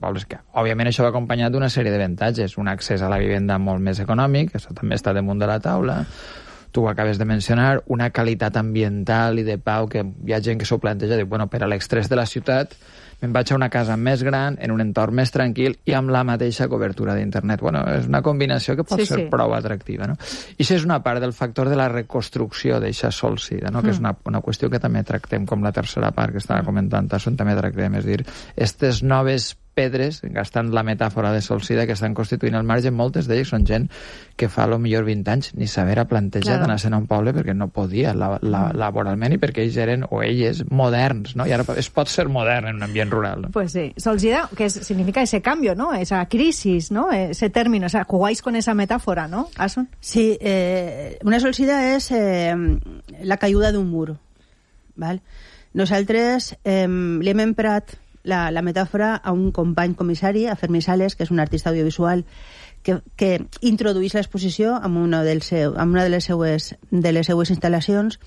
pobles que, òbviament, això va acompanyat d'una sèrie d'avantatges. Un accés a la vivenda molt més econòmic, això també està damunt de la taula. Tu ho acabes de mencionar, una qualitat ambiental i de pau que hi ha gent que s'ho planteja, diu, bueno, per a l'extrés de la ciutat me'n vaig a una casa més gran, en un entorn més tranquil i amb la mateixa cobertura d'internet. Bueno, és una combinació que pot ser prou atractiva, no? I això és una part del factor de la reconstrucció d'eixa solsida, no? Que és una qüestió que també tractem com la tercera part que estava comentant Tasson, també tractem, és dir, aquestes noves pedres, gastant la metàfora de solsida que estan constituint el marge, moltes d'elles són gent que fa a lo millor 20 anys ni saber a plantejar d'anar-se'n a un poble perquè no podia laboralment i perquè ells eren, o elles, moderns, ¿no? I ara es pot ser modern en un ambient rural, ¿no? Pues sí, solsida, que significa ese cambio, ¿no? Esa crisis, ¿no? Ese término, o sea, jugáis con esa metáfora, ¿no, Asun? Sí, una solsida és la caiguda d'un mur, ¿vale? Nosaltres li hem emprat la metàfora a un company comissari, a Fermí Sales, que és un artista audiovisual que introduïx l'exposició amb una de les seues instal·lacions,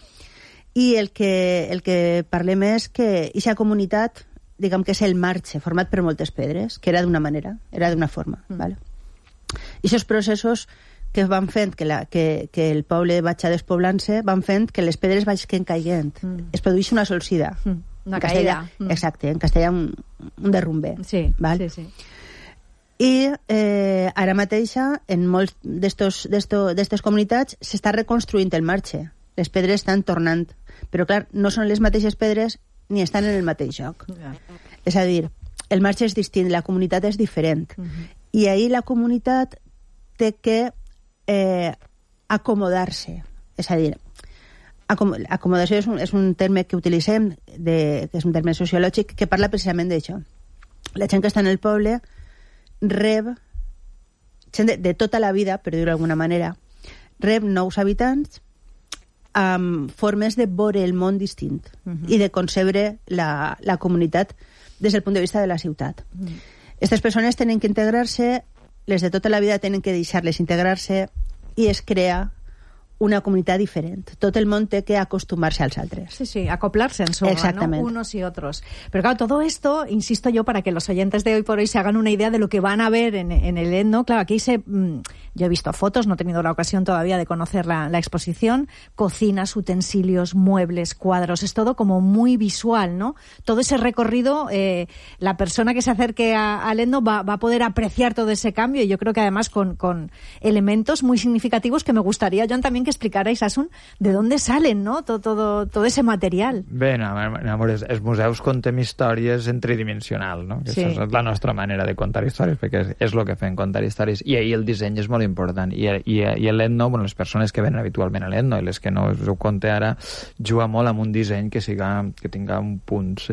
i el que parlem és que aquesta comunitat, diguem que és el marge format per moltes pedres, que era d'una manera, era d'una forma, ¿vale? I aquests processos que van fent que el poble vagi despoblant-se, van fent que les pedres vagin caient. Es produeix una solsida. Una caïda. Exacte, en castellà un derrumbe. Sí, val? Sí. I ara mateixa, en molts d'estes comunitats, s'està reconstruint el marge. Les pedres estan tornant. Però, clar, no són les mateixes pedres ni estan en el mateix lloc. És a dir, el marge és distint, la comunitat és diferent. I ahir la comunitat té que acomodar-se. És a dir, acomodació és un terme que utilitzem, que és un terme sociològic, que parla precisament d'això. La gent que està en el poble rep, gent de tota la vida, per dir-ho d'alguna manera, rep nous habitants amb formes de veure el món distint i de concebre la comunitat des del punt de vista de la ciutat. Aquestes persones tenen que integrar-se, les de tota la vida tenen que deixar-les integrar-se, i es crea una comunitat diferent. Tot el món té que acostumar-se als altres. Sí, acoplarse en suma, ¿no? Unos y otros. Pero claro, todo esto, insisto yo, para que los oyentes de Hoy por Hoy se hagan una idea de lo que van a ver en el Etno. Claro, aquí yo he visto fotos, no he tenido la ocasión todavía de conocer la exposición. Cocinas, utensilios, muebles, cuadros, es todo como muy visual, ¿no? Todo ese recorrido, la persona que se acerque al Etno va a poder apreciar todo ese cambio, y yo creo que además con elementos muy significativos que me gustaría, Joan, también que explicarais, Asun, de dónde salen, ¿no? Todo ese material. Bé, no, amor, els museus contem històries en tridimensional, no? Que és la nostra manera de contar històries, perquè és el que fem, contar històries. I ahir el disseny és molt important. I l'Etno, bueno, les persones que venen habitualment a l'Etno i les que no us ho conté ara, juga molt amb un disseny que tinga un punts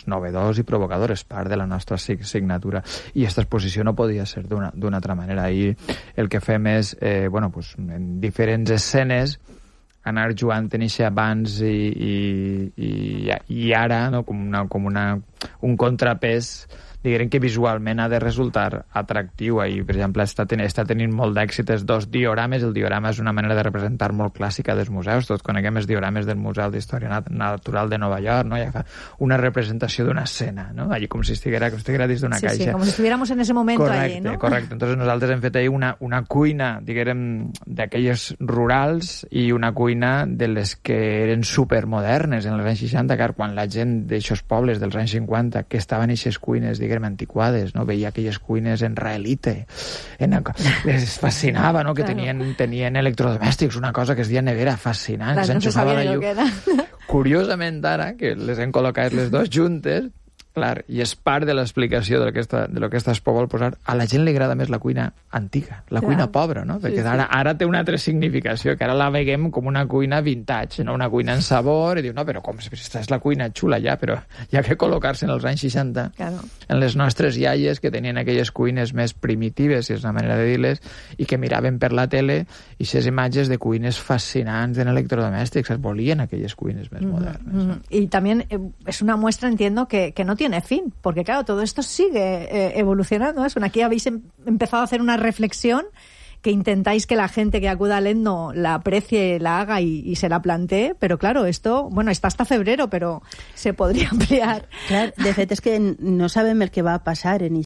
novedors i provocadors, part de la nostra signatura. I aquesta exposició no podia ser d'una altra manera. I el que fem és, en diferents escenes, anar jugant en aquest abans i ara, no? com un contrapès, diguem que visualment ha de resultar atractiu. I, per exemple, està tenint molt d'èxit els dos diorames. El diorama és una manera de representar molt clàssica dels museus. Tots coneguem els diorames del Museu d'Història Natural de Nova York, no? Ja fa una representació d'una escena, no? Allí com si estiguera dins d'una caixa. Sí, com si estuviéramos en ese momento allí, ¿no? Correcte. Entonces nosaltres hem fet ahir una cuina, diguem, d'aquelles rurals i una cuina de les que eren supermodernes en els anys 60, car quan la gent d'aixòs pobles dels anys 50 que estaven en aquestes cuines, diguem, antiquades, no? Veia aquelles cuines en raelite, les fascinava, no? Que tenien electrodomèstics, una cosa que es deia nevera, fascinant, que s'enxufava la llum. Curiosament, ara, que les hem col·locat les dues juntes, clar, i és part de l'explicació de lo que aquesta expo vol posar, a la gent li agrada més la cuina antiga, la cuina pobra, no? Perquè ara té una altra significació, que ara la veiem com una cuina vintage, no? Una cuina en sabor, i diu, no, però com, aquesta és la cuina xula ja, però hi ha que col·locar-se en els anys 60, en les nostres iaies que tenien aquelles cuines més primitives, si és una manera de dir-les, i que miraven per la tele i aquestes imatges de cuines fascinants en electrodomèstics, es volien aquelles cuines més modernes. Y también es una muestra, entiendo, que no tiene fin, porque claro, todo esto sigue evolucionando. Aquí habéis empezado a hacer una reflexión que intentáis que la gente que acuda al Etno la aprecie, la haga y se la plantee, pero claro, esto, está hasta febrero, pero se podria ampliar. Clar, de fet és que no sabem el que va passar en